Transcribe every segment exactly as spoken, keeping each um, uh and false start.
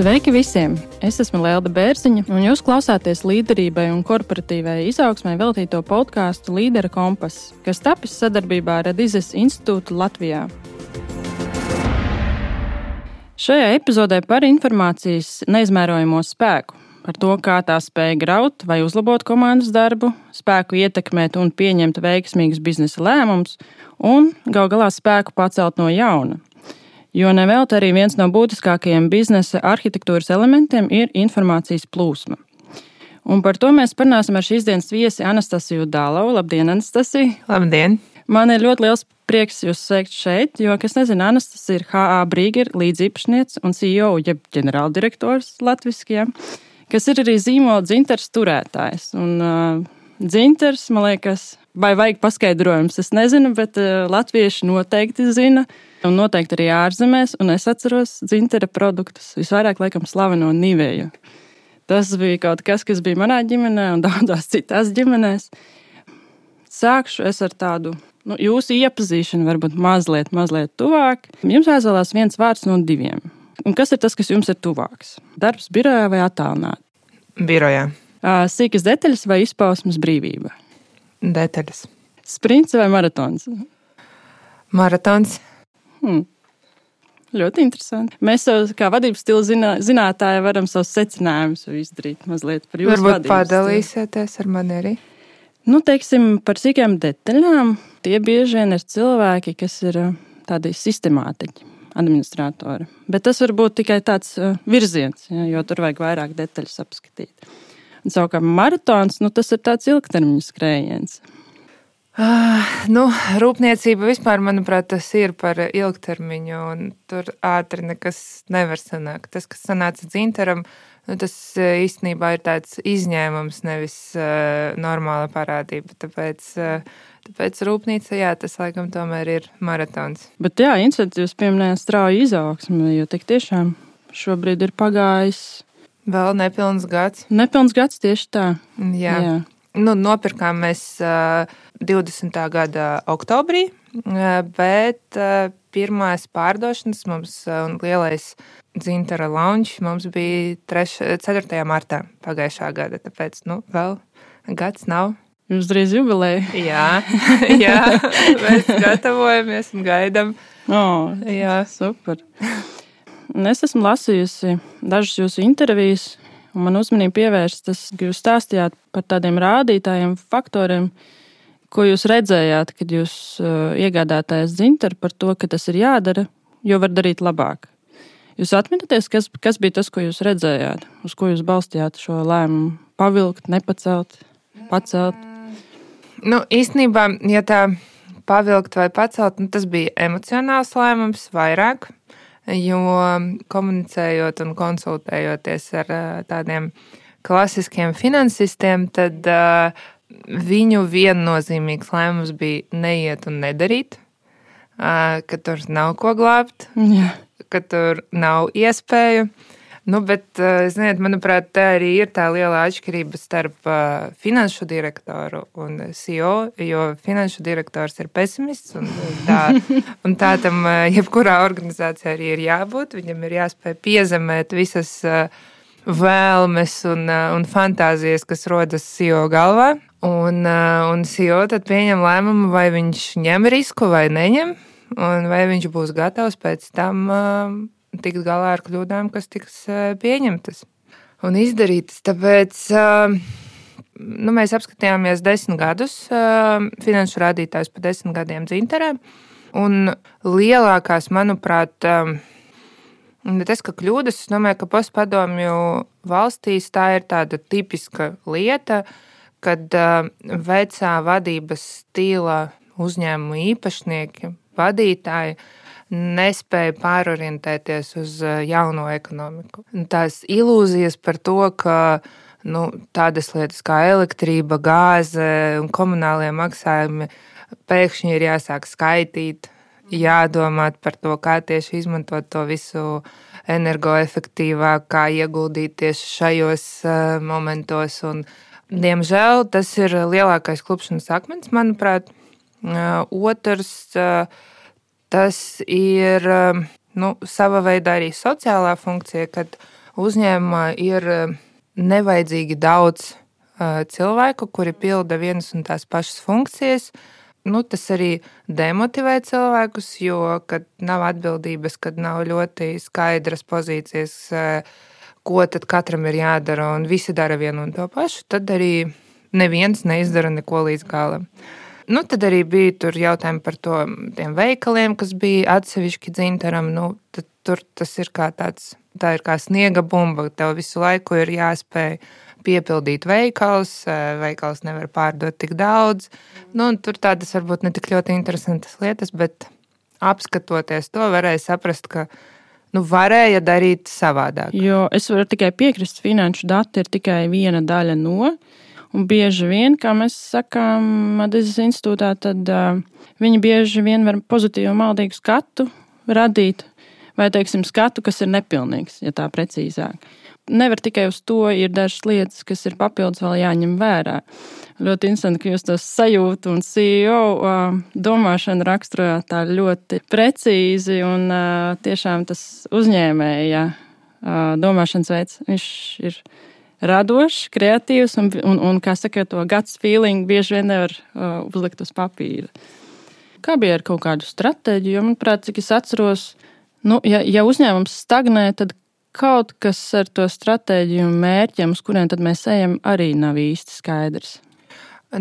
Sveiki visiem! Es esmu Lelda Bērziņa, un jūs klausāties līderībai un korporatīvai izaugsmai veltīto podkāstu Līdera kompass, kas tapis sadarbībā ar Radizes institūtu Latvijā. Šajā epizodē par informācijas neizmērojamo spēku, par to, kā tā spēj graut vai uzlabot komandas darbu, spēku ietekmēt un pieņemt veiksmīgus biznesa lēmumus un gal galā spēku pacelt no jauna. Jo nevelti arī viens no būtiskākajiem biznesa arhitektūras elementiem ir informācijas plūsma. Un par to mēs parunāsim ar šīs dienas viesi Anastasiju Dālovu. Labdien, Anastasija! Labdien! Man ir ļoti liels prieks jūs sveikt šeit, jo, kas nezina, Anastasija ir H A Brīger līdziepašniece un C E O, jeb ģenerāldirektors latviskajā, kas ir arī zīmola dzintars turētājs. Un uh, dzintars, man liekas, vai vajag paskaidrojums, es nezinu, bet uh, latvieši noteikti zina. Un noteikti arī ārzemēs, un es atceros dzintara produktus, visvairāk laikam slaveno Niveju. Tas bija kaut kas, kas bija manā ģimenē un daudzās citās ģimenēs. Sākšu es ar tādu, nu, jūsu iepazīšanu varbūt mazliet, mazliet tuvāk. Jums jāizvēlās viens vārds no diviem. Un kas ir tas, kas jums ir tuvāks? Darbs birojā vai attālināti? Birojā. Sīkas detaļas vai izpausmes brīvība? Detaļas. Sprints vai maratons? Maratons. Hmm. Ļoti interesanti. Mēs savus, kā vadības stila zinā, zinātāji varam savus secinājumus izdarīt mazliet par jūsu Varbūt vadības padalīsieties ar mani arī? Nu, teiksim, par sīkām detaļām. Tie bieži vien ir cilvēki, kas ir tādi sistemātiķi, administratori. Bet tas var būt tikai tāds virziens, ja, jo tur vajag vairāk detaļas apskatīt. Un savukārt maratons, nu, tas ir tāds ilgtermiņa skrējiens. Uh, nu, rūpniecība vispār, manuprāt, tas ir par ilgtermiņu, un tur ātri nekas nevar sanākt. Tas, kas sanāca dzintaram, nu, tas īstenībā ir tāds izņēmums, nevis uh, normāla parādība. Tāpēc, uh, tāpēc rūpnīca, jā, tas laikam tomēr ir maratons. Bet jā, interesanti, jūs pieminējāt strauju izaugsmi, jo tik tiešām šobrīd ir pagājis vēl nepilns gads. Nepilns gads tieši tā. Jā. jā. Nu, nopirkām mēs uh, divdesmitā gada oktobrī, uh, bet uh, pirmās pārdošanas mums uh, un lielais dzintara launch mums bija ceturtajā martā pagājušā gada, tāpēc, nu, vēl gads nav. Jūs drīz jubilēja. Jā, jā, mēs gatavojamies un gaidam. Oh, jā, super. Un es esmu lasījusi dažas jūsu intervijas, un man uzmanību pievērst tas, ka jūs stāstījāt par tādiem rādītājiem, faktoriem, ko jūs redzējāt, kad jūs uh, iegādātājs dzintaru par to, ka tas ir jādara, jo var darīt labāk. Jūs atminaties, kas, kas bija tas, ko jūs redzējāt, uz ko jūs balstījāt šo lēmumu pavilkt, nepacelt, pacelt? Nu, īstenībā, ja tā pavilkt vai pacelt, nu, tas bija emocionāls lēmums vairāk. Jo komunicējot un konsultējoties ar tādiem klasiskiem finansistiem, tad uh, viņu viennozīmīgs lēmums bija neiet un nedarīt, uh, ka tur nav ko glābt, Jā. Ka tur nav iespēju. Nu, bet, uh, ziniet, manuprāt, tā arī ir tā liela atšķirība starp uh, finanšu direktoru un C E O, jo finanšu direktors ir pesimists, un tā, un tā tam uh, jebkurā organizācijā arī ir jābūt. Viņam ir jāspēj piezemēt visas uh, vēlmes un, uh, un fantāzijas, kas rodas C E O galvā. Un, uh, un C E O tad pieņem lēmumu, vai viņš ņem risku vai neņem, un vai viņš būs gatavs pēc tam uh, tikt galā ar kļūdām, kas tiks pieņemtas un izdarītas. Tāpēc nu, mēs apskatījāmies desmit gadus, finanšu rādītājus pa desmit gadiem dzintarē. Un lielākās, manuprāt, tas, ka kļūdas, es domāju, ka postpadomju valstīs tā ir tāda tipiska lieta, kad vecā vadības stila uzņēmumu īpašnieki, vadītāji, nespēja pārorientēties uz jauno ekonomiku. Tās ilūzijas par to, ka nu, tādas lietas kā elektrība, gāze un komunālie maksājumi pēkšņi ir jāsāk skaitīt, jādomāt par to, kā tieši izmantot to visu energoefektīvāk, kā ieguldīt tieši šajos momentos. Un, diemžēl tas ir lielākais klupšanas akmens, manuprāt. Otrs, tas ir nu, sava veida arī sociālā funkcija, kad uzņēmumā ir nevajadzīgi daudz cilvēku, kuri pilda vienas un tās pašas funkcijas. Nu, tas arī demotivē cilvēkus, jo, kad nav atbildības, kad nav ļoti skaidras pozīcijas, ko tad katram ir jādara, un visi dara vienu un to pašu, tad arī neviens neizdara neko līdz galam. Nu, tad arī bija tur jautājumi par to, tiem veikaliem, kas bija atsevišķi Dzintaram. Nu, tad, tur tas ir kā tāds, tā ir kā sniega bumba. Tev visu laiku ir jāspēj piepildīt veikals, veikals nevar pārdot tik daudz. Nu, un tur tādas varbūt ne tik ļoti interesantas lietas, bet apskatoties to, varēja saprast, ka nu, varēja darīt savādāk. Jo es varu tikai piekrist, finanšu dati ir tikai viena daļa no. Un bieži vien, kā mēs sakām Madizes institūtā, tad uh, viņi bieži vien var pozitīvu maldīgu skatu radīt, vai, teiksim, skatu, kas ir nepilnīgs, ja tā precīzāk. Nevar tikai uz to, ir dažas lietas, kas ir papildus vēl jāņem vērā. Ļoti interesanti, ka jūs tos sajūtu un C E O uh, domāšanu raksturojāt tā ļoti precīzi un uh, tiešām tas uzņēmēja uh, domāšanas veids, viņš ir radošs, kreatīvs un, un, un kā saka, to guts feeling bieži vien nevar uh, uzlikt uz papīra. Kā bija ar kaut kādu stratēģiju? Jo, manuprāt, cik es atceros, nu, ja, ja uzņēmums stagnē, tad kaut kas ar to stratēģiju un mērķiem, uz kuriem tad mēs ejam, arī nav īsti skaidrs.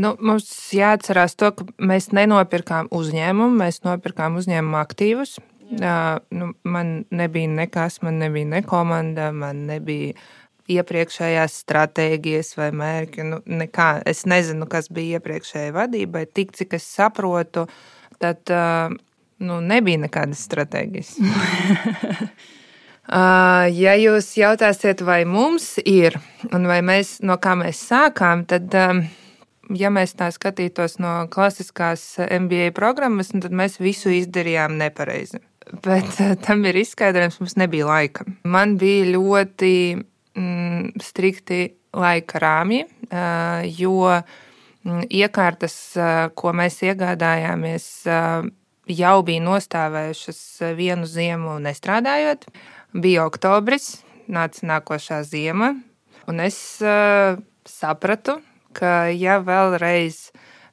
Nu, mums jāatcerās to, ka mēs nenopirkām uzņēmumu, mēs nopirkām uzņēmumu aktīvus. Uh, nu, man nebija nekas, man nebija ne komanda, man nebija iepriekšējās stratēģijas vai mērķi, nu, nekā. Es nezinu, kas bija iepriekšējai vadībai, tik cik es saprotu, tad nu, nebija nekādas stratēģijas. Ja jūs jautāsiet, vai mums ir, un vai mēs, no kā mēs sākām, tad, ja mēs tā skatītos no klasiskās M B A programmas, tad mēs visu izdarījām nepareizi. Bet tam ir izskaidrojums, mums nebija laika. Man bija ļoti strikti laika rāmji, jo iekārtas, ko mēs iegādājāmies, jau bija nostāvējušas vienu ziemu nestrādājot. Bija oktobris, nāca nākošā ziema, un es sapratu, ka ja vēlreiz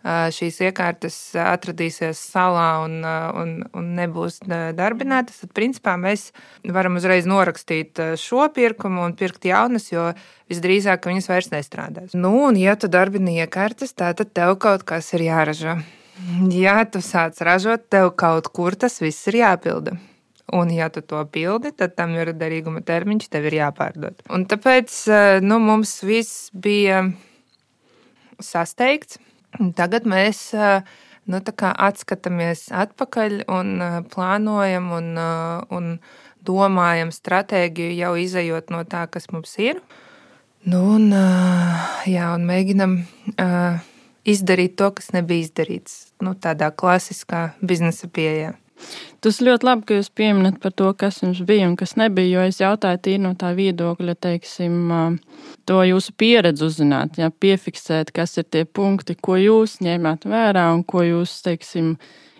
šīs iekārtas atradīsies salā un, un, un nebūs darbinātas, tad principā mēs varam uzreiz norakstīt šo pirkumu un pirkt jaunas, jo visdrīzāk viņas vairs nestrādās. Nu, un ja tu darbini iekārtas, tā tad tev kaut kas ir jāražo. Ja tu sāc ražot, tev kaut kur tas viss ir jāpilda. Un ja tu to pildi, tad tam ir derīguma termiņš, tev ir jāpārdod. Un tāpēc nu, mums viss bija sasteigts. Tagad mēs nu, tā kā atskatāmies atpakaļ un plānojam un, un domājam stratēģiju jau izejot no tā, kas mums ir. Nu, un, jā, un mēģinam izdarīt to, kas nebija izdarīts. Nu, tādā klasiskā biznesa pieejā. Tas ļoti labi, ka jūs pieminat par to, kas jums bija un kas nebija, jo es jautāju tīri no tā viedokļa, teiksim, to jūsu pieredzi uzzināt, ja, piefiksēt, kas ir tie punkti, ko jūs ņēmāt vērā un ko jūs, teiksim,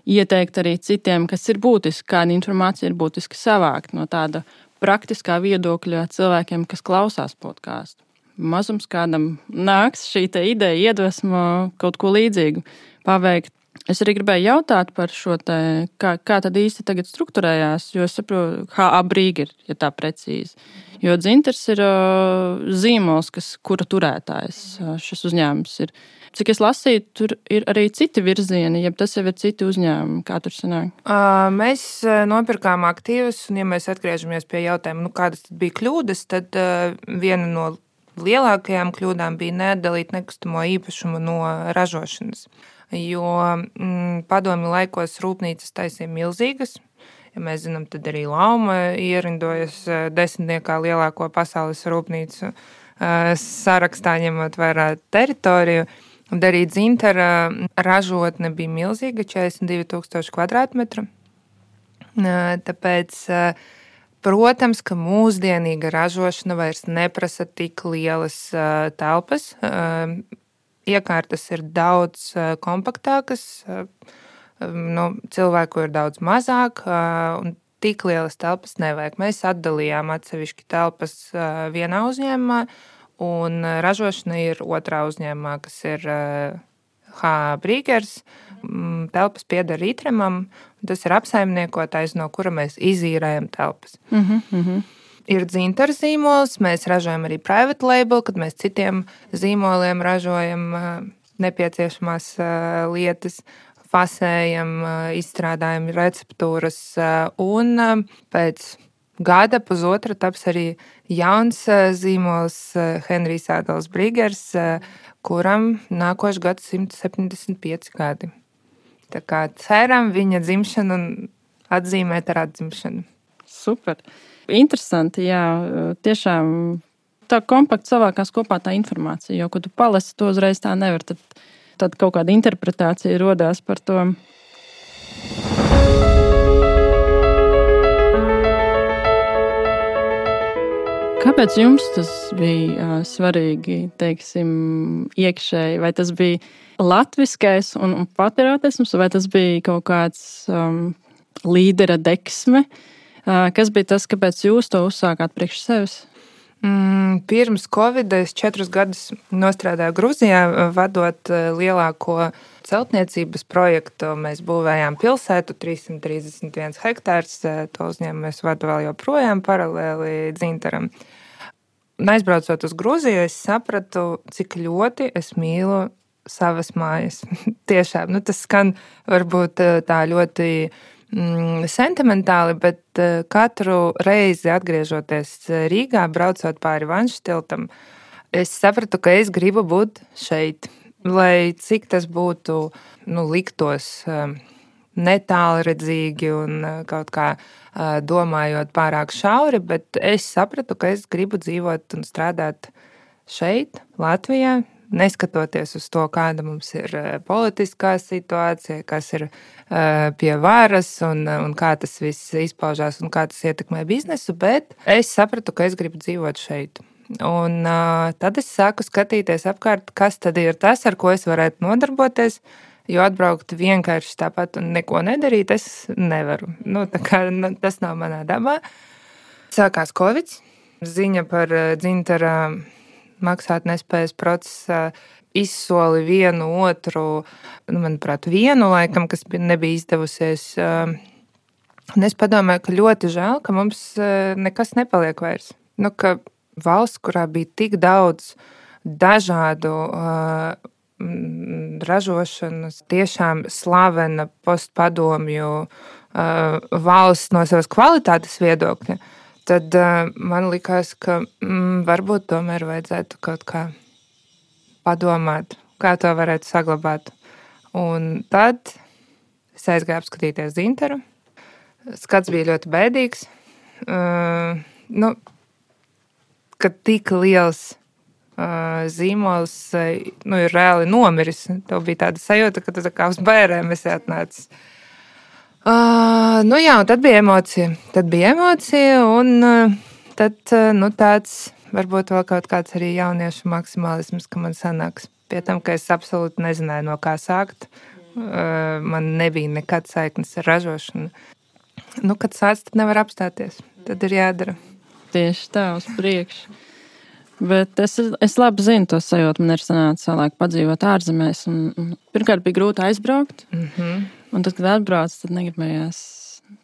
ieteikt arī citiem, kas ir būtiski, kāda informācija ir būtiski savākt no tāda praktiskā viedokļa cilvēkiem, kas klausās podkāstu. Mazums kādam nāks šī te ideja, iedvesmo kaut ko līdzīgu paveikt. Es arī gribēju jautāt par šo te, kā, kā tad īsti tagad strukturējās, jo es saprotu, H A Brīger, ja tā precīzi. Jo Dzintars ir uh, zīmols, kas, kura turētājs uh, šis uzņēmums ir. Cik es lasīju, tur ir arī citi virzieni, ja tas jau ir citi uzņēmumi, kā tur sanāk? Uh, mēs nopirkām aktīvus, un ja mēs atgriežamies pie jautājuma, nu kādas tad bija kļūdas, tad uh, viena no lielākajām kļūdām bija neatdalīt nekustamo īpašumu no ražošanas. Jo mm, padomju laikos rūpnīcas taisīja milzīgas. Ja mēs zinām, tad arī Lauma ierindojas desmitniekā lielāko pasaules rūpnīcu sarakstā, ņemot vērā teritoriju. Un arī Dzintara ražotne bija milzīga, četrdesmit divi tūkstoši kvadrātmetru. Tāpēc, protams, ka mūsdienīga ražošana vairs neprasa tik lielas telpas. Iekārtas ir daudz kompaktākas, nu, cilvēku ir daudz mazāk, un tik lielas telpas nevajag. Mēs atdalījām atsevišķi telpas vienā uzņēmumā, un ražošana ir otrā uzņēmumā, kas ir H A Brīgers. Telpas pieder Ritremam, un tas ir apsaimniekotais, no kura mēs izīrējam telpas. Mhm, mhm. Ir dzintara zīmols, mēs ražojam arī private label, kad mēs citiem zīmoliem ražojam nepieciešamās lietas, fasējam, izstrādājam receptūras, un pēc gada pusotra taps arī jauns zīmols Henrijs Ādolfs Brīgers, kuram nākošais gads simt septiņdesmit pieci gadi. Tā kā ceram viņa dzimšanu un atzīmēt ar atzimšanu. Super. Interesanti, jā, tiešām tā kompakti savākās kopā tā informācija, jo, kad tu palasi to uzreiz tā nevar, tad, tad kaut kāda interpretācija rodās par to. Kāpēc jums tas bija svarīgi, teiksim, iekšēji? Vai tas bija latviskais un, un patriotisms, vai tas bija kaut kāds um, līdera deksme? Kas bija tas, kāpēc jūs to uzsākāt priekš sevis? Mm, pirms Covid es četrus gadus nostrādāju Grūzijā, vadot lielāko celtniecības projektu. Mēs būvējām pilsētu, trīssimt trīsdesmit viens hektārs. To uzņēmumu es vadu vēl joprojām paralēli dzintaram. Aizbraucot uz Grūziju, es sapratu, cik ļoti es mīlu savas mājas. Tiešām, nu, tas skan varbūt tā ļoti sentimentāli, bet katru reizi atgriežoties Rīgā, braucot pāri Vanšu tiltam, es sapratu, ka es gribu būt šeit, lai cik tas būtu, nu, liktos netālredzīgi un kaut kā domājot pārāk šauri, bet es sapratu, ka es gribu dzīvot un strādāt šeit, Latvijā, neskatoties uz to, kāda mums ir politiskā situācija, kas ir pie varas un, un kā tas viss izpaužās un kā tas ietekmē biznesu, bet es sapratu, ka es gribu dzīvot šeit. Un uh, tad es sāku skatīties apkārt, kas tad ir tas, ar ko es varētu nodarboties, jo atbraukt vienkārši tāpat un neko nedarīt, es nevaru. Nu, tā kā tas nav manā dabā. Sākās Covid, ziņa par dzintara maksāt nespējas procesā izsoli vienu otru, nu, manuprāt, vienu laikam, kas nebija izdevusies. Un es padomāju, ka ļoti žēl, ka mums nekas nepaliek vairs. Nu, ka valsts, kurā bija tik daudz dažādu uh, ražošanas, tiešām slavena postpadomju uh, valsts no savas kvalitātes viedokļa, tad uh, man likās, ka mm, varbūt tomēr vajadzētu kaut kā padomāt, kā to varētu saglabāt. Un tad es aizgāju apskatīties dzintaru. Skats bija ļoti bēdīgs. Uh, nu, kad tik liels uh, zīmols uh, nu, ir reāli nomiris. Tev bija tāda sajūta, ka tu tā kā uz bērēm esi atnācis. Uh, nu jā, un tad bija emocija. Tad bija emocija, un uh, tad uh, nu, tāds varbūt vēl kaut kāds arī jauniešu maksimālisms, ka man sanāks. Pie tam, ka es absolūti nezināju, no kā sākt. Uh, man nebija nekad saiknes ar ražošanu. Nu, kad sāc, tad nevar apstāties. Tad ir jādara. Tieši tā, uz priekšu. Bet es, es labi zinu to sajūtu. Man ir sanācis vēlāk padzīvot ārzemēs. Un, un pirmkārt bija grūti aizbraukt. Mm-hmm. Un tad, kad atbrauc, tad negribējās.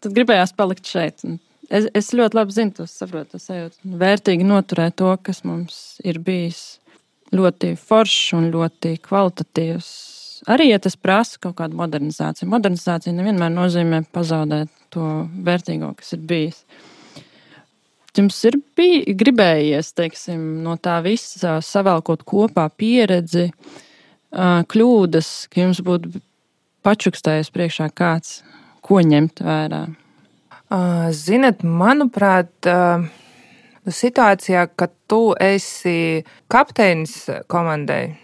Tad gribējās palikt šeit. Un es, es ļoti labi zinu to, saprotu to sajūtu. Vērtīgi noturēt to, kas mums ir bijis ļoti foršs un ļoti kvalitatīvs. Arī, ja tas prasa kaut kādu modernizāciju. Modernizācija nevienmēr nozīmē pazaudēt to vērtīgo, kas ir bijis. Jums ir bij, gribējies, teiksim, no tā visa savēlkot kopā pieredzi, kļūdas, ka jums būtu pačukstējis priekšā kāds, ko ņemt vērā? Zinat, manuprāt, situācijā, kad tu esi kapteinis komandai,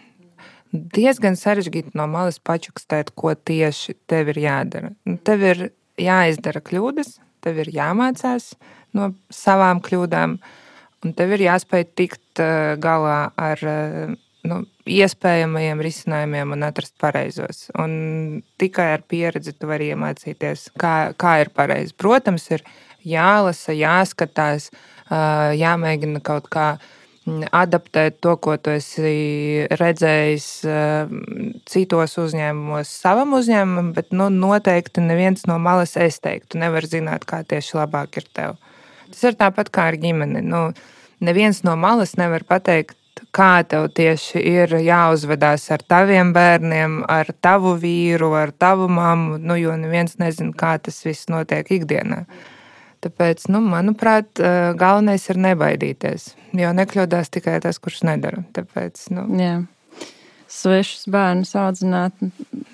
diezgan sarežģīti no malas pačukstēt, ko tieši tev ir jādara. Tev ir jāizdara kļūdas, tev ir jāmācās no savām kļūdām, un tev ir jāspēj tikt galā ar nu, iespējamajiem risinājumiem un atrast pareizos. Un tikai ar pieredzi tu vari iemācīties, kā, kā ir pareizi. Protams, ir jālasa, jāskatās, jāmēģina kaut kā adaptēt to, ko tu esi redzējis citos uzņēmumos savam uzņēmumam, bet nu, noteikti neviens no malas es teiktu. Tu nevar zināt, kā tieši labāk ir tev. Tas ir tāpat kā ar ģimeni. Nu, neviens no malas nevar pateikt, kā tev tieši ir jāuzvedās ar taviem bērniem, ar tavu vīru, ar tavu mammu, nu, jo neviens nezina, kā tas viss notiek ikdienā. Tāpēc, nu, manuprāt, galvenais ir nebaidīties, jo nekļūdās tikai tas, kurš nedara. Tāpēc, nu, jā. Svešus bērnus audzināt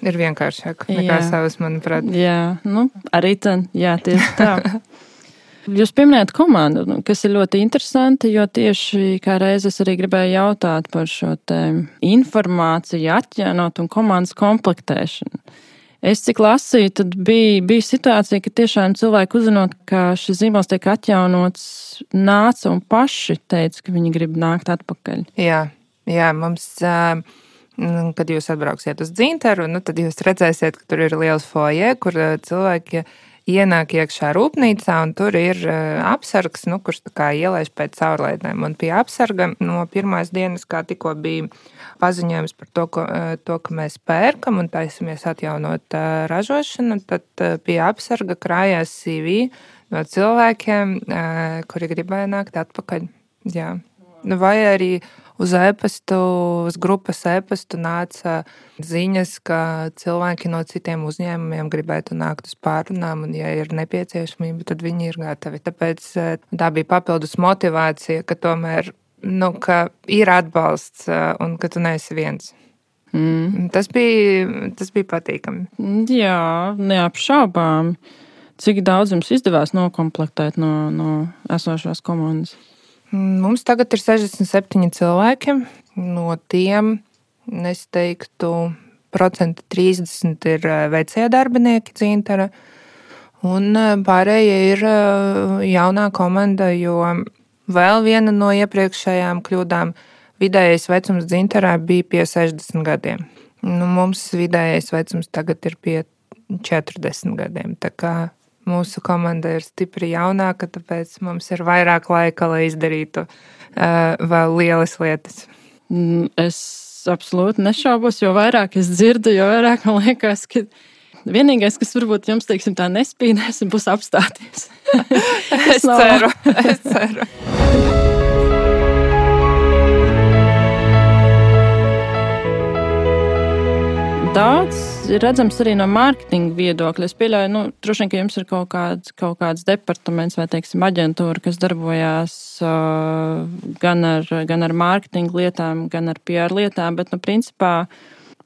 ir vienkāršāk nekā savas, manuprāt. Jā, nu, arī tad, jā, tieši tā. Jūs pieminējat komandu, kas ir ļoti interesanti, jo tieši kā reiz es arī gribēju jautāt par šo te informāciju atjaunot un komandas komplektēšanu. Es cik lasīju, tad bija, bija situācija, ka tiešām cilvēki uzzinot, ka šis zīmols tiek atjaunots, nāca un paši teica, ka viņi grib nākt atpakaļ. Jā, jā, mums, kad jūs atbrauksiet uz Dzintaru, nu, tad jūs redzēsiet, ka tur ir liels foje, kur cilvēki ienāk iekšā rūpnīcā, un tur ir apsargs, nu, kurš tā kā ielaiž pēc caurlaidēm. Un pie apsarga no pirmās dienas, kā tikko bija paziņojums par to, ko, to, ka mēs pērkam un taisamies atjaunot ražošanu, tad pie apsarga krājās C V no cilvēkiem, kuri gribēja nākt atpakaļ. Jā. Vai arī uz e-pastu, uz grupas e-pastu nāca ziņas, ka cilvēki no citiem uzņēmumiem gribētu nākt uz pārrunām, un ja ir nepieciešamība, tad viņi ir gatavi. Tāpēc tā bija papildus motivācija, ka tomēr, nu, ka ir atbalsts un ka tu neesi viens. Mm. Tas bija, tas bija patīkami. Jā, neapšaubām. Cik daudz jums izdevās nokomplektēt no, no esošās komandas? Mums tagad ir sešdesmit septiņi cilvēki. No tiem, es teiktu, procenti trīsdesmit ir vecie darbinieki Dzintara, un pārējie ir jaunā komanda, jo vēl viena no iepriekšējām kļūdām vidējais vecums Dzintarā bija pie sešdesmit gadiem. Nu, mums vidējais vecums tagad ir pie četrdesmit gadiem, tā kā mūsu komanda ir stipri jaunāka, tāpēc mums ir vairāk laika, lai izdarītu uh, vēl lielas lietas. Es absolūti nešaubos, jo vairāk es dzirdu, jo vairāk man liekas, ka vienīgais, kas varbūt jums, teiksim, tā nespīdēs, būs apstāties. es ceru, es ceru. Daudz ir redzams arī no mārketinga viedokļa. Es pieļauju, nu, droši vien, ka jums ir kaut kāds, kaut kāds departaments vai, teiksim, aģentūra, kas darbojās uh, gan ar, gan ar mārketinga lietām, gan ar P R lietām, bet, nu, principā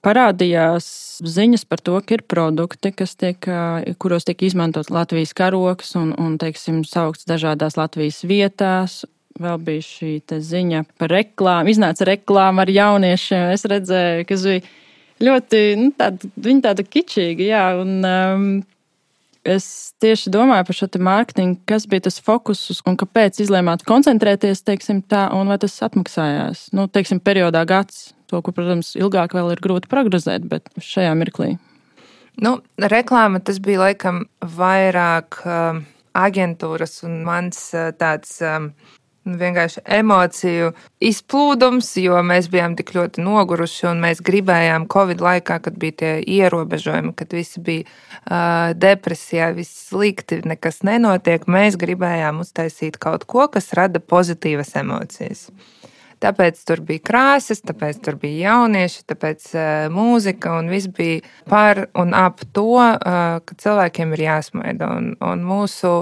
parādījās ziņas par to, ka ir produkti, kas tiek, uh, kuros tiek izmantot Latvijas karoks un, un, teiksim, saukts dažādās Latvijas vietās. Vēl bija šī te ziņa par reklāmu, iznāca reklāma ar jauniešiem. Es redzēju, kas bija ļoti, nu, tāda, viņa tāda kičīga, jā, un um, es tieši domāju par šo te mārketingu, kas bija tas fokus un kāpēc izlēmāt koncentrēties, teiksim tā, un vai tas atmaksājās, nu, teiksim, periodā gads, to, ko, protams, ilgāk vēl ir grūti prognozēt, bet šajā mirklī. Nu, reklāma tas bija laikam vairāk um, aģentūras un mans uh, tāds um, vienkārši emociju izplūdums, jo mēs bijām tik ļoti noguruši un mēs gribējām Covid laikā, kad bija tie ierobežojumi, kad visi bija uh, depresijā, viss slikti, nekas nenotiek, mēs gribējām uztaisīt kaut ko, kas rada pozitīvas emocijas. Tāpēc tur bija krāsas, tāpēc tur bija jaunieši, tāpēc uh, mūzika un viss bija par un ap to, uh, ka cilvēkiem ir jāsmaida. Un, un mūsu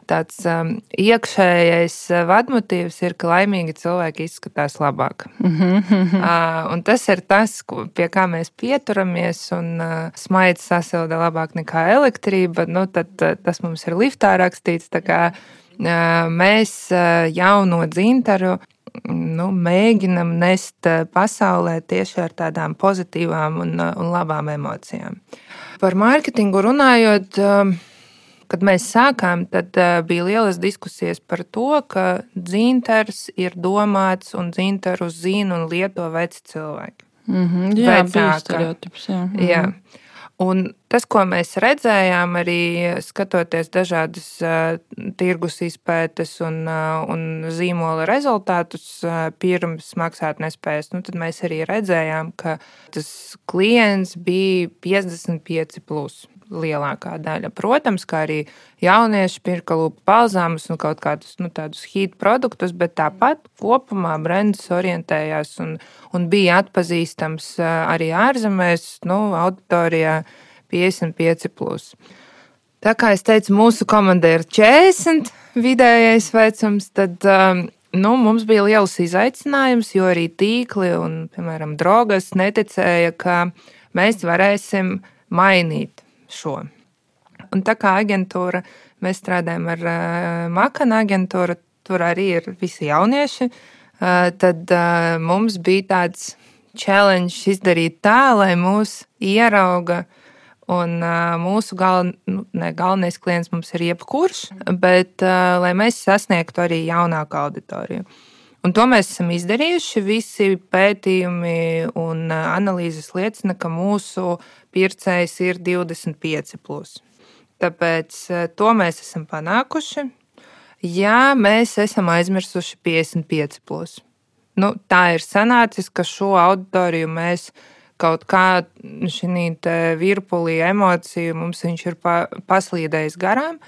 tāds um, iekšējais vadmotīvs ir, ka laimīgi cilvēki izskatās labāk. uh, un tas ir tas, pie kā mēs pieturamies, un uh, smaids sasilda labāk nekā elektrība. Nu, tad uh, tas mums ir liftā rakstīts, tā kā uh, mēs uh, jauno Dzintaru nu, mēģinam nest pasaulē tieši ar tādām pozitīvām un, un labām emocijām. Par mārketingu runājot, kad mēs sākām, tad bija lielas diskusijas par to, ka dzintars ir domāts un dzintaru zina un lieto veci cilvēki. Mm-hmm, jā, bija stereotips. Jā. Mm-hmm. Jā. Un tas, ko mēs redzējām, arī skatoties dažādas uh, tirgus izpētes un, uh, un zīmola rezultātus uh, pirms maksātnespējas, nu, tad mēs arī redzējām, ka tas klients bija piecdesmit pieci plus lielākā daļa. Protams, kā arī jaunieši pirka lūpu balzāmus un kaut kādus nu, tādus hīt produktus, bet tāpat kopumā brands orientējās un, un bija atpazīstams uh, arī ārzemēs, nu, auditorijā piecdesmit pieci plus. Tā kā es teicu, mūsu komanda ir četrdesmit vidējais vecums, tad um, nu, mums bija liels izaicinājums, jo arī tīkli un, piemēram, drogas neticēja, ka mēs varēsim mainīt šo. Un tā kā aģentūra, mēs strādājam ar uh, Makana aģentūru, tur arī ir visi jaunieši, uh, tad uh, mums bija tāds challenge izdarīt tā, lai mūs ierauga. Un uh, mūsu gal, nu, ne, galvenais klients mums ir jebkurš, bet uh, lai mēs sasniegtu arī jaunāku auditoriju. Un to mēs esam izdarījuši. Visi pētījumi un uh, analīzes liecina, ka mūsu pircējs ir divdesmit pieci plus. Tāpēc uh, to mēs esam panākuši. Jā, mēs esam aizmirsuši piecdesmit pieci plus. Nu, tā ir sanācis, ka šo auditoriju mēs kaut kā šī virpulī emociju mums viņš ir pa, paslīdējis garām,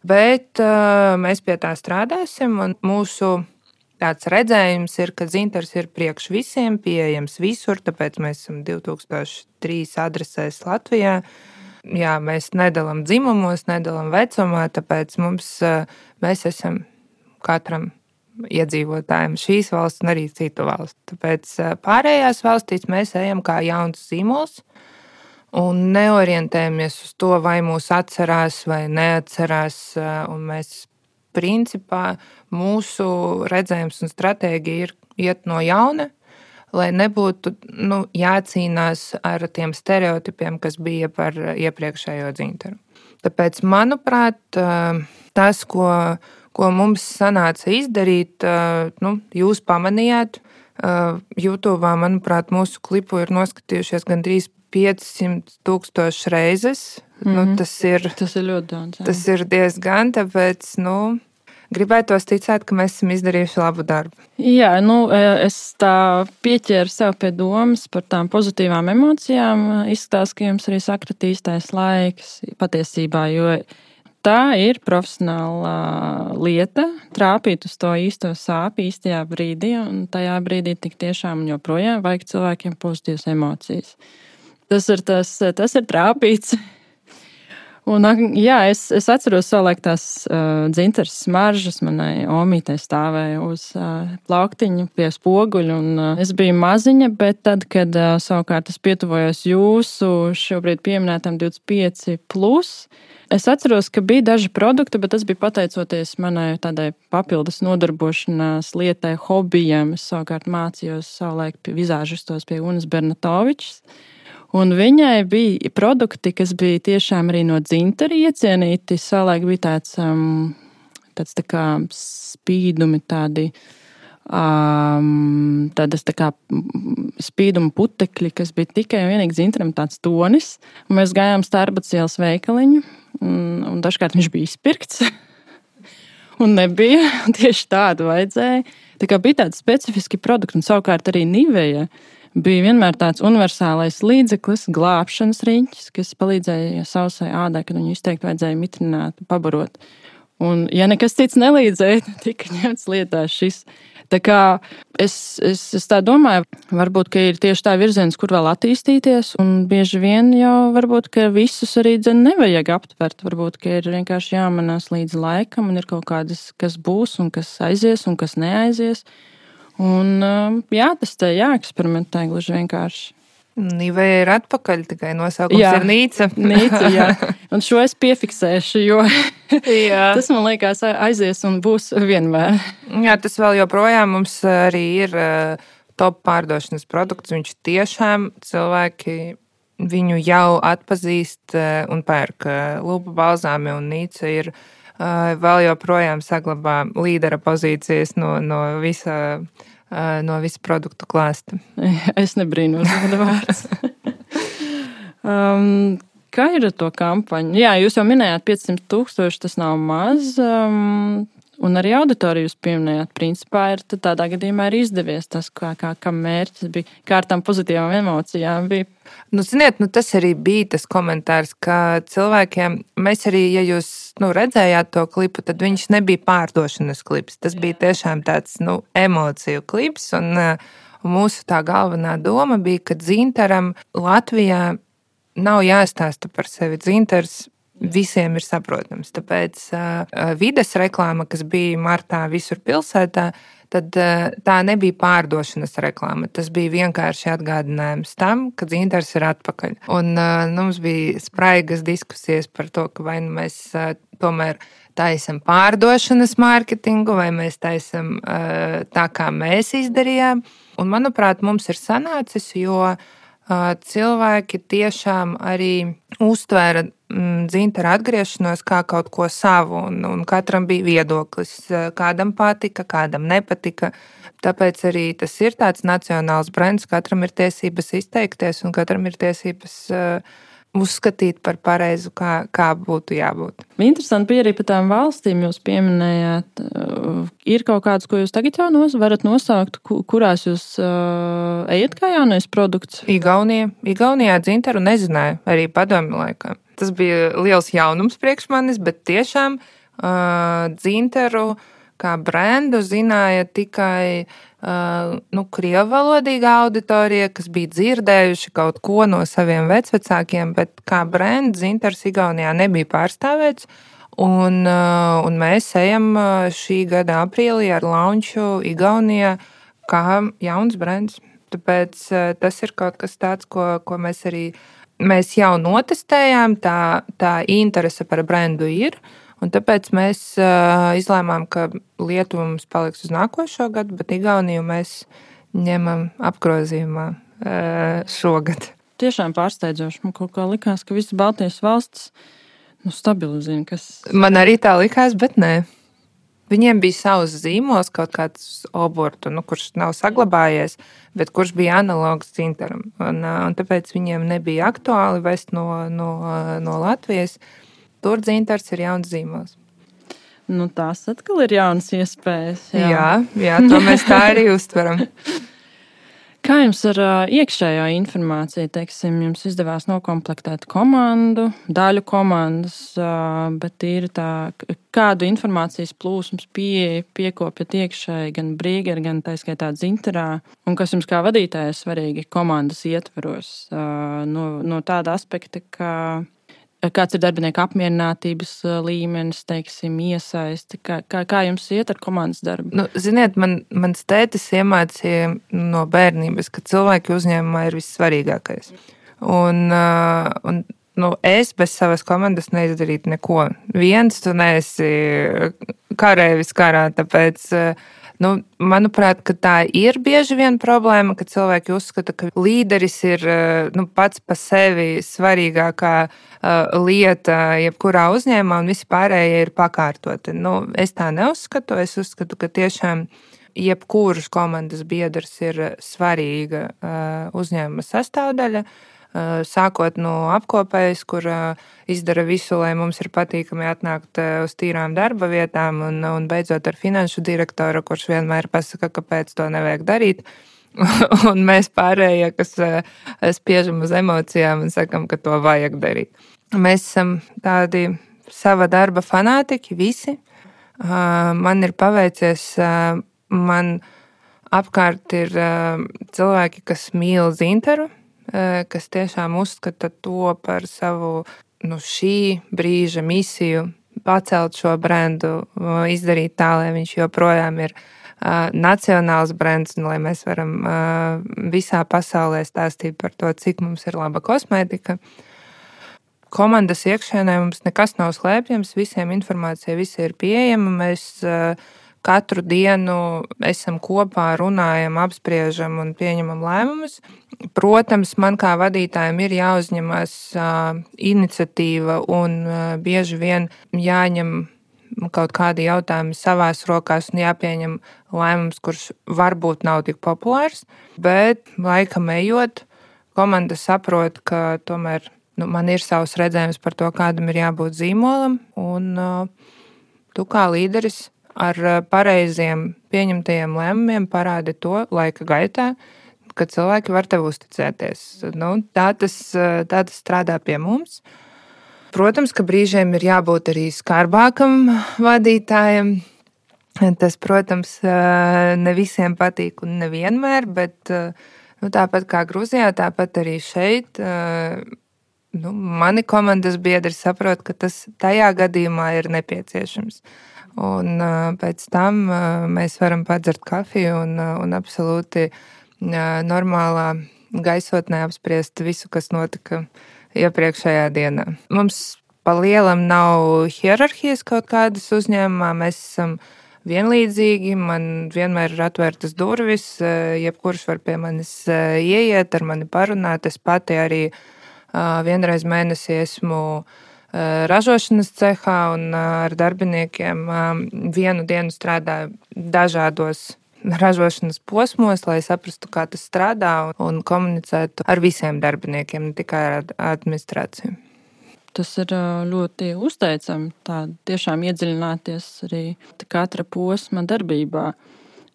bet uh, mēs pie tā strādāsim, un mūsu tāds redzējums ir, ka dzintars ir priekš visiem, pieejams visur, tāpēc mēs esam divi tūkstoši trīs adresēs Latvijā. Jā, mēs nedalām dzimumos, nedalām vecumā, tāpēc mums, uh, mēs esam katram iedzīvotājiem šīs valsts un arī citu valstu. Tāpēc pārējās valstīs mēs ejam kā jauns zīmols un neorientējamies uz to, vai mūs atcerās vai neatcerās. Un mēs principā mūsu redzējums un stratēģija ir iet no jauna, lai nebūtu nu, jācīnās ar tiem stereotipiem, kas bija par iepriekšējo dzintaru. Tāpēc, manuprāt, tas, ko ko mums sanāca izdarīt, nu, jūs pamanījāt. YouTube, manuprāt, mūsu klipu ir noskatījušies gandrīz piecsimt tūkstoši reizes. Mm-hmm. Nu, tas ir, tas ir ļoti daudz. Jā. Tas ir diezgan, tāpēc, nu, gribētos ticēt, ka mēs esam izdarījuši labu darbu. Jā, nu, es tā pieķēru sev pie domas par tām pozitīvām emocijām. Izskatās, ka jums arī sakratīstais laiks patiesībā, jo tā ir profesionāla lieta, trāpīt uz to īsto sāpi īstajā brīdī, un tajā brīdī tik tiešām joprojām vajag cilvēkiem pozitīvas emocijas. Tas ir, tas, tas ir trāpīts. Un, jā, es, es atceros savulaik tās uh, dzintars smaržas, manai omītei stāvēja uz uh, plauktiņu pie spoguļa, un uh, es biju maziņa, bet tad, kad uh, savukārt es pietuvojos jūsu šobrīd pieminētam divdesmit pieci plus, es atceros, ka bija daži produkti, bet tas bija pateicoties manai tādai papildus nodarbošanās lietai, hobijam. Es savukārt mācījos savulaik pie vizāžistos pie Unas Bernatovičs. Un viņai bija produkti, kas bija tiešām arī no dzintara iecienīti. Savulaik bija tāds, um, tāds tā kā spīdumi, tādi, um, tādas tā kā spīduma putekļi, kas bija tikai un vienīgi dzintaram tāds tonis. Un mēs gājām Starbucks ielas veikaliņu. Un, un dažkārt viņš bija izpirkts un nebija, tieši tādu vajadzēja. Tā kā bija tādi specifiski produkti, un savukārt arī Niveja bija vienmēr tāds universālais līdzeklis, glābšanas riņķis, kas palīdzēja sausai ādai, kad viņu izteikti vajadzēja mitrināt, pabarot. Un, ja nekas cits nelīdzēja, tad tika ņemts lietā šis. Tā kā es, es, es tā domāju, varbūt, ka ir tieši tā virziens, kur vēl attīstīties, un bieži vien jau varbūt, ka visus arī dzen nevajag aptvert. Varbūt, ka ir vienkārši jāmanās līdz laikam, un ir kaut kādas, kas būs, un kas aizies, un kas neaizies. Un jā, tas te jāeksperimentē gluži vienkārši. Niveja ir atpakaļ, tikai nosaukums jā, ir Nīca. Nīca, jā. Un šo es piefiksēšu, jo tas, man liekas, aizies un būs vienmēr. Jā, tas vēl joprojām mums arī ir top pārdošanas produkts. Viņš tiešām cilvēki viņu jau atpazīst un pērk. Lupa balzāmi un Nīca ir vēl joprojām saglabā līdera pozīcijas no, no visa, no visa produktu klāsta. Es nebrīnos, kāda vārds. um, kā ir ar to kampaņu? Jā, jūs jau minējāt piecsimt tūkstoši, tas nav maz. Um, Un arī auditoriju jūs pieminējāt, principā ir tādā gadījumā ir izdevies tas, kā, kā, kā mērķis bija, kā ar tām pozitīvām emocijām bija. Nu, ziniet, nu, tas arī bija tas komentārs, ka cilvēkiem, mēs arī, ja jūs nu, redzējāt to klipu, tad viņš nebija pārdošanas klips. Tas bija tiešām tāds nu, emociju klips, un, un mūsu tā galvenā doma bija, ka dzintaram Latvijā nav jāstāsta par sevi. Dzintars visiem ir saprotams. Tāpēc uh, vides reklāma, kas bija martā visur pilsētā, tad uh, tā nebija pārdošanas reklāma. Tas bija vienkārši atgādinājums tam, ka dzintars ir atpakaļ. Un uh, nu, mums bija spraigas diskusijas par to, ka vai nu mēs uh, tomēr taisam pārdošanas mārketingu, vai mēs taisam uh, tā, kā mēs izdarījām. Un, manuprāt, mums ir sanācis, jo cilvēki tiešām arī uztvēra dzintara atgriešanos kā kaut ko savu, un, un katram bija viedoklis. Kādam patika, kādam nepatika. Tāpēc arī tas ir tāds nacionāls brands, katram ir tiesības izteikties, un katram ir tiesības uh, uzskatīt par pareizu, kā, kā būtu jābūt. Interesanti bija arī par tām valstīm, jūs pieminējāt. Ir kaut kādas, ko jūs tagad jau nos, varat nosaukt, kurās jūs uh, ejat kā jaunais produkts? Igaunija. Igaunijā dzintaru nezināju, arī padomju laikā. Tas bija liels jaunums priekš manis, bet tiešām uh, dzintaru kā brendu zināja tikai uh, nu, krievalodīga auditorija, kas bija dzirdējuši kaut ko no saviem vecvecākiem, bet kā brendu dzintars Igaunijā nebija pārstāvēts. Un, uh, un mēs ejam šī gada aprīlī ar launču Igaunijā kā jauns brands. Tāpēc uh, tas ir kaut kas tāds, ko, ko mēs arī mēs jau notestējām, tā, tā interese par brendu ir. Un tāpēc mēs uh, izlēmām, ka Lietuva mums paliks uz nākošo gadu, bet Igauniju mēs ņemam apgrozījumā uh, šogad. Tiešām pārsteidzoši. Man kaut kā likās, ka visas Baltijas valstis nu, stabili zina, kas... Man arī tā likās, bet nē. Viņiem bija savs zīmols, kaut kāds obortu, nu, kurš nav saglabājies, bet kurš bija analogs dzintaram. Un, uh, un tāpēc viņiem nebija aktuāli vest no, no, no Latvijas. Tur dzintars ir jauns zīmols. Nu, tās atkal ir jaunas iespējas. Jā, jā, jā to mēs tā arī uztveram. Kā jums ar uh, iekšējo informāciju, teiksim, jums izdevās nokomplektēt komandu, daļu komandas, uh, bet ir tā, kādu informācijas plūsmas pie, piekopjat iekšēji gan Brīgeri, gan tā skaitā dzintarā, un kas jums kā vadītājai svarīgi komandas ietveros uh, no, no tāda aspekta, ka kāds ir darbinieku apmierinātības līmenis, teiksim, iesaisti? Kā, kā, kā jums iet ar komandas darbu? Nu, ziniet, man, mans tētis iemācīja no bērnības, ka cilvēki uzņēmumā ir vissvarīgākais. Un, un nu, es bez savas komandas neizdarītu neko. Viens tu neesi karēvis karā, tāpēc... Nu, manuprāt, ka tā ir bieži vien problēma, ka cilvēki uzskata, ka līderis ir nu, pats pa sevi svarīgākā uh, lieta jebkurā uzņēmumā, un visi pārējie ir pakārtoti. Nu, es tā neuzskatu. Es uzskatu, ka tiešām jebkuras komandas biedrs ir svarīga uh, uzņēmuma sastāvdaļa. Sākot no apkopējas, kur izdara visu, lai mums ir patīkami atnākt uz tīrām darba vietām, un, un beidzot ar finanšu direktoru, kurš vienmēr pasaka, kāpēc to nevajag darīt. Un mēs pārējie, kas spiežam uz emocijām un sakam, ka to vajag darīt. Mēs esam tādi sava darba fanātiķi, visi. Man ir paveicies, man apkārt ir cilvēki, kas mīl dzintaru, kas tiešām uzskata to par savu nu, šī brīža misiju, pacelt šo brendu, izdarīt tā, lai viņš joprojām ir uh, nacionāls brands, un lai mēs varam uh, visā pasaulē stāstīt par to, cik mums ir laba kosmētika. Komandas iekšēnē mums nekas nav slēpjams, visiem informācija visi ir pieejama. Mēs uh, katru dienu esam kopā, runājam, apspriežam un pieņemam lēmumus. Protams, man kā vadītājiem ir jāuzņemas uh, iniciatīva un uh, bieži vien jāņem kaut kādi jautājumi savās rokās un jāpieņem lēmums, kurš varbūt nav tik populārs, bet laikam ejot, komanda saprot, ka tomēr nu, man ir savs redzējums par to, kādam ir jābūt zīmolam, un uh, tu kā līderis ar pareiziem pieņemtajiem lēmumiem parādi to laika gaitā, ka cilvēki var tev uzticēties. Nu, tā, tas, tā tas strādā pie mums. Protams, ka brīžiem ir jābūt arī skarbākam vadītājam. Tas, protams, ne visiem patīk un nevienmēr, bet nu, tāpat kā Gruzijā, tāpat arī šeit. Nu, mani komandas biedri saprot, ka tas tajā gadījumā ir nepieciešams. Un pēc tam mēs varam padzert kafiju un, un absolūti normālā gaisotnē apspriest visu, kas notika iepriekšējā dienā. Mums pa lielam nav hierarhijas kaut kādas uzņēmumā, mēs esam vienlīdzīgi, man vienmēr ir atvērtas durvis, jebkurš var pie manis ieiet, ar mani parunāt. Es pati arī vienreiz mēnesī esmu ražošanas cehā un ar darbiniekiem vienu dienu strādāju dažādos ražošanas posmos, lai saprastu, kā tas strādā un komunicētu ar visiem darbiniekiem, ne tikai ar administrāciju. Tas ir ļoti uzteicami, tā tiešām iedziļināties arī katra posma darbībā.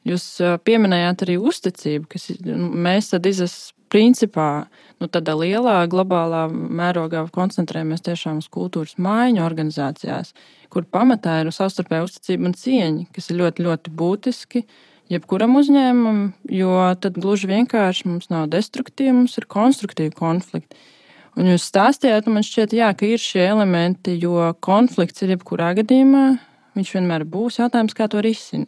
Jūs pieminējāt arī uzticību, kas mēs tad izas principā, nu tādā lielā globālā mērogā koncentrējamies tiešām uz kultūras maiņu organizācijās, kur pamatā ir savstarpēja uzticība un cieņa, kas ir ļoti, ļoti būtiski jebkuram uzņēmumam, jo tad gluži vienkārši mums nav destruktīvi, mums ir konstruktīvi konflikti. Un jūs stāstījāt, un man šķiet, jā, ka ir šie elementi, jo konflikts ir jebkurā gadījumā, viņš vienmēr būs jautājums, kā to risina.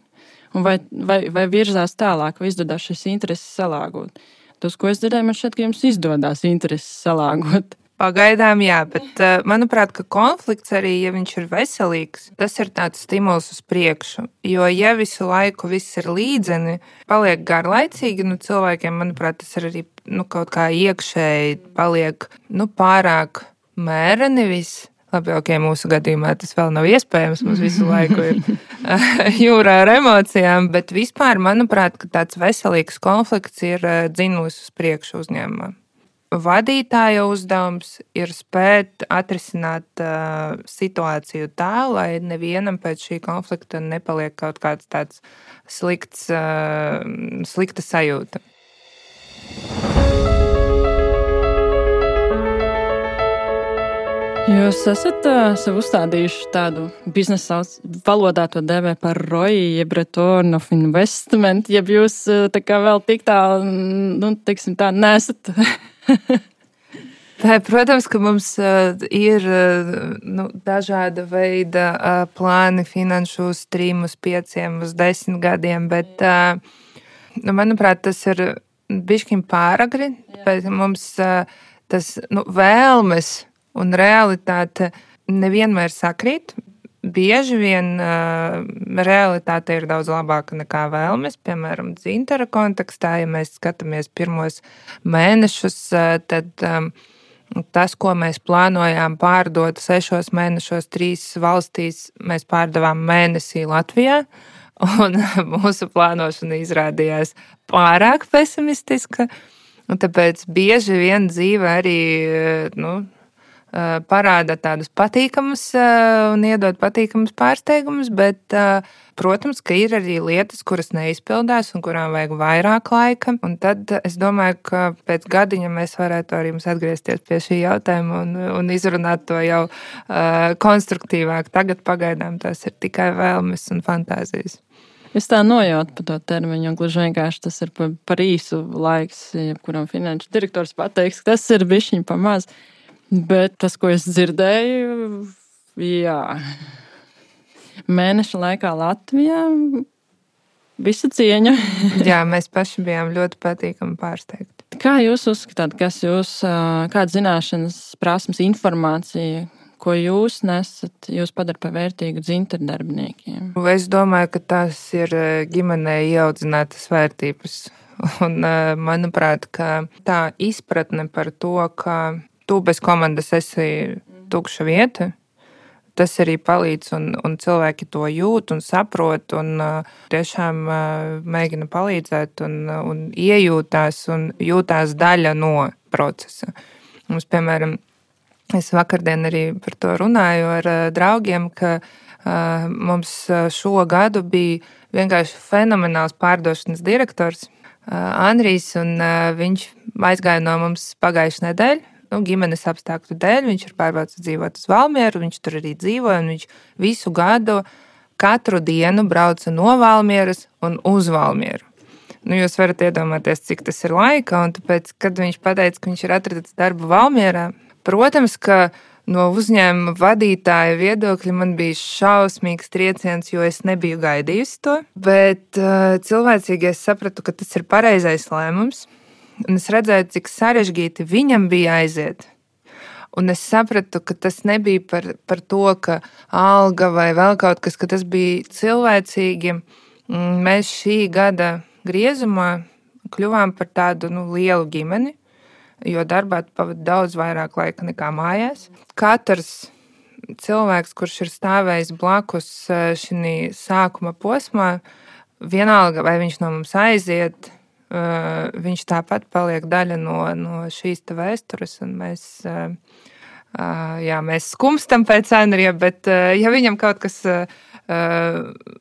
Un vai, vai, vai virzās tālāk, vai izdodas šis intereses salāgot. Tas, ko es dzirdēju, man šķiet, ka jums izdodas intereses salāgot. Pagaidām jā, bet manuprāt, ka konflikts arī, ja viņš ir veselīgs, tas ir tāds stimuls uz priekšu. Jo ja visu laiku viss ir līdzeni, paliek garlaicīgi, nu cilvēkiem, manuprāt, tas ir arī nu, kaut kā iekšēji paliek nu, pārāk mēreni viss. Labi, ok, mūsu gadījumā tas vēl nav iespējams, mums visu laiku ir jūrā ar emocijām, bet vispār, manuprāt, ka tāds veselīgs konflikts ir dzinulis uz priekšu uzņēmumā. Vadītāja uzdevums ir spēt atrisināt uh, situāciju tā, lai nevienam pēc šī konflikta nepaliek kaut kāds tāds slikts, uh, slikta sajūta. Jūs esat uh, sev uzstādījuši tādu biznesa valodā to dēvē par R O I, jeb Return of Investment, jeb jūs uh, tā kā vēl tik tā, nu, teiksim tā, nesat. Tā, protams, ka mums uh, ir uh, nu, dažāda veida uh, plāni finanšu uz trim, uz pieciem, uz desmit gadiem, bet, uh, nu, manuprāt, tas ir bišķiņ pāragri, bet mums uh, tas nu, vēlmes un realitāte nevienmēr sakrīt. Bieži vien uh, realitāte ir daudz labāka nekā vēlmes. Piemēram, dzintara kontekstā, ja mēs skatāmies pirmos mēnešus, uh, tad um, tas, ko mēs plānojām pārdot sešos mēnešos trīs valstīs, mēs pārdevām mēnesī Latvijā. Un mūsu plānošana izrādījās pārāk pesimistiska. Un tāpēc bieži vien dzīve arī, nu, parāda tādus patīkamus un iedod patīkamus pārsteigumus, bet, protams, ka ir arī lietas, kuras neizpildās un kurām vajag vairāk laika. Un tad es domāju, ka pēc gadiņa mēs varētu arī jums atgriezties pie šī jautājuma un, un izrunāt to jau uh, konstruktīvāk. Tagad pagaidām tās ir tikai vēlmes un fantāzijas. Es tā nojautu par to termiņu, un gluži vienkārši tas ir par, par īsu laiks, jebkuram finanšu direktors pateiks, ka tas ir bišķiņ pa maz. Bet tas, ko es dzirdēju, jā, mēneša laikā Latvijā, visa cieņa. Jā, mēs paši bijām ļoti patīkami pārsteigti. Kā jūs uzskatāt, kas jūs, kāda zināšanas, prasmes, informācija, ko jūs nesat, jūs padara par vērtīgu dzintaru darbiniekiem? Es domāju, ka tās ir ģimenē ieaudzinātas vērtības. Un, manuprāt, ka tā izpratne par to, ka tu bez komandas esi tukša vieta, tas arī palīdz, un, un cilvēki to jūt un saprot, un uh, tiešām uh, mēģina palīdzēt, un, un iejūtās, un jūtās daļa no procesa. Mums, piemēram, es vakardien arī par to runāju ar uh, draugiem, ka uh, mums šo gadu bija vienkārši fenomenāls pārdošanas direktors uh, Andrijs, un uh, viņš aizgāja no mums pagājušajā nedēļā. Nu, ģimenes apstākļu dēļ viņš ir pārbraucis dzīvot uz Valmieru, viņš tur arī dzīvoja, un viņš visu gadu katru dienu brauca no Valmieras un uz Valmieru. Nu, jūs varat iedomāties, cik tas ir laika, un tāpēc, kad viņš pateica, ka viņš ir atradis darbu Valmierā, protams, ka no uzņēmuma vadītāja viedokļa man bija šausmīgs trieciens, jo es nebiju gaidījusi to, bet uh, cilvēcīgi es sapratu, ka tas ir pareizais lēmums. Un es redzēju, cik sarežģīti viņam bija aiziet. Un es sapratu, ka tas nebija par, par to, ka alga vai vēl kaut kas, ka tas bija cilvēcīgi. Mēs šī gada griezumā kļuvām par tādu nu, lielu ģimeni, jo darbā pavada daudz vairāk laika nekā mājās. Katrs cilvēks, kurš ir stājis blakus šī sākuma posmā, vienalga, vai viņš no mums aiziet, Uh, viņš tāpat paliek daļa no, no šīs vēstures, un mēs, uh, uh, jā, mēs skumstam pēc Andrija, bet uh, ja viņam kaut kas uh,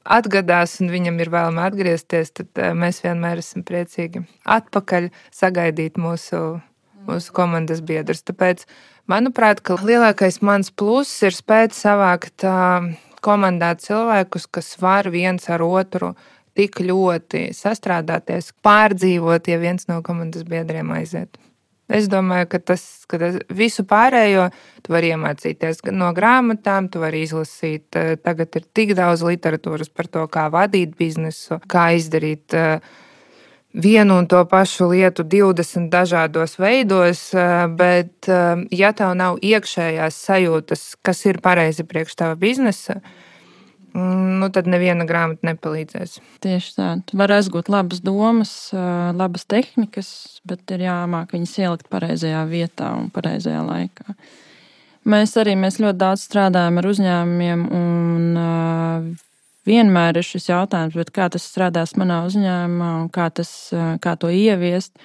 atgadās un viņam ir vēlme atgriezties, tad uh, mēs vienmēr esam priecīgi atpakaļ sagaidīt mūsu, mūsu komandas biedrus. Tāpēc, manuprāt, ka lielākais mans pluss ir spēt savākt uh, komandā cilvēkus, kas var viens ar otru tik ļoti sastrādāties, pārdzīvot, ja viens no komandas biedriem aiziet. Es domāju, ka tas, ka tas visu pārējo tu vari iemācīties gan no grāmatām, tu vari izlasīt. Tagad ir tik daudz literatūras par to, kā vadīt biznesu, kā izdarīt vienu un to pašu lietu divdesmit dažādos veidos, bet ja tev nav iekšējās sajūtas, kas ir pareizi priekš tava biznesa, nu, tad neviena grāmata nepalīdzēs. Tieši tā. Tu vari aizgūt labas domas, labas tehnikas, bet ir jāmāk viņas ielikt pareizajā vietā un pareizajā laikā. Mēs arī mēs ļoti daudz strādājam ar uzņēmumiem, un vienmēr ir šis jautājums, bet kā tas strādās manā uzņēmumā un kā, tas, kā to ieviest.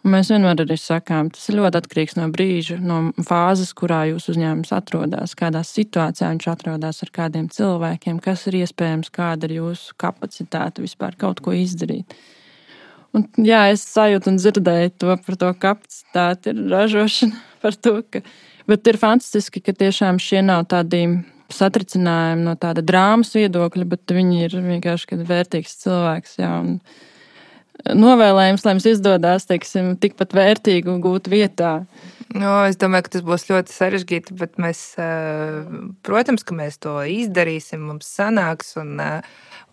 Un mēs vienmēr arī sakām, tas ir ļoti atkarīgs no brīža, no fāzes, kurā jūsu uzņēmums atrodas, kādā situācijā viņš atrodas ar kādiem cilvēkiem, kas ir iespējams, kāda ir jūsu kapacitāte vispār kaut ko izdarīt. Un, jā, es sajūtu un dzirdēju to par to kapacitāti, ir ražošana par to, ka, bet ir fantastiski, ka tiešām šie nav tādi satricinājumi no tāda drāmas viedokļa, bet viņi ir vienkārši vērtīgs cilvēks, jā, un novēlējums, lai mums izdodas, teiksim, tikpat vērtīgu gūt vietā. No, es domāju, ka tas būs ļoti sarežģīti, bet mēs, protams, ka mēs to izdarīsim, mums sanāks, un,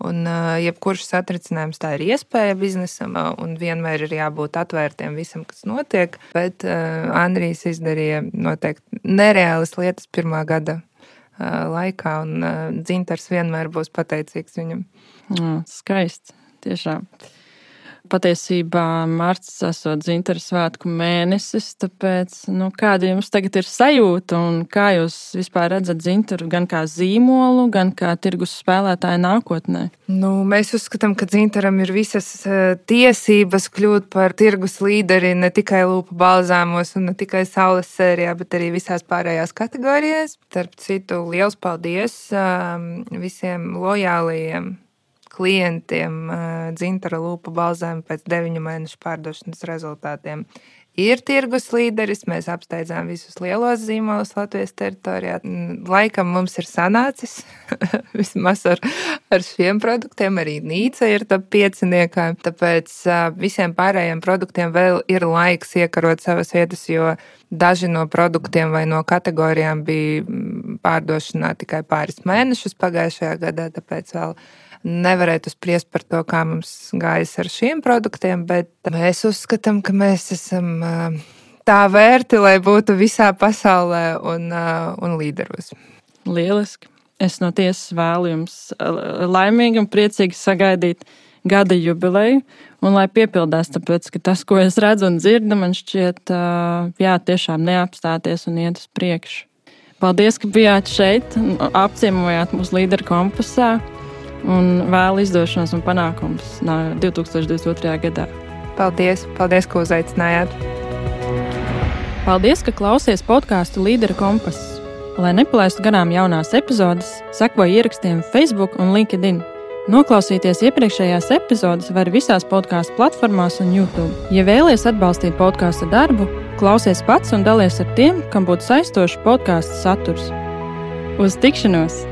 un jebkurš satricinājums tā ir iespēja biznesam, un vienmēr ir jābūt atvērtiem visam, kas notiek, bet Andrijs izdarīja noteikti nereālas lietas pirmā gada laikā, un dzintars vienmēr būs pateicīgs viņam. Jā, skaisti, tiešām. Patiesībā marts esot dzintaru svētku mēnesis, tāpēc, nu, kāda jums tagad ir sajūta un kā jūs vispār redzat dzintaru gan kā zīmolu, gan kā tirgus spēlētāju nākotnē? Nu, mēs uzskatām, ka dzintaram ir visas tiesības kļūt par tirgus līderi ne tikai lūpu balzāmos un ne tikai saules sērijā, bet arī visās pārējās kategorijās. Starp citu, liels paldies visiem lojālajiem klientiem dzintara lūpu balzāmi pēc deviņu mēnešu pārdošanas rezultātiem. Ir tirgus līderis, mēs apsteidzām visus lielos zīmolus Latvijas teritorijā. Laikam mums ir sanācis, vismaz ar, ar šiem produktiem, arī Nīca ir top pieciniekā, tāpēc visiem pārējiem produktiem vēl ir laiks iekarot savas vietas, jo daži no produktiem vai no kategorijām bija pārdošanā tikai pāris mēnešus pagājušajā gadā, tāpēc vēl nevarētu spriest par to, kā mums gājas ar šiem produktiem, bet mēs uzskatām, ka mēs esam tā vērti, lai būtu visā pasaulē un, un līderos. Lieliski. Es no tiesas vēlu jums laimīgi un priecīgi sagaidīt gada jubileju, un lai piepildās, tāpēc, ka tas, ko es redzu un dzirdu, man šķiet, jā, tiešām neapstāties un iet uz priekšu. Paldies, ka bijāt šeit un apciemojāt mūsu līderu kompasā, un vēlu izdošanos un panākums divi tūkstoši divdesmit otrajā gadā. Paldies, paldies, ka uzaicinājāt. Paldies, ka klausies podcastu Līderu kompass. Lai nepalaistu garām jaunās epizodes, seko ierakstiem Facebook un LinkedIn. Noklausīties iepriekšējās epizodes var visās podcastu platformās un YouTube. Ja vēlies atbalstīt podkasta darbu, klausies pats un dalies ar tiem, kam būtu saistošs podkasta saturs. Uz tikšanos!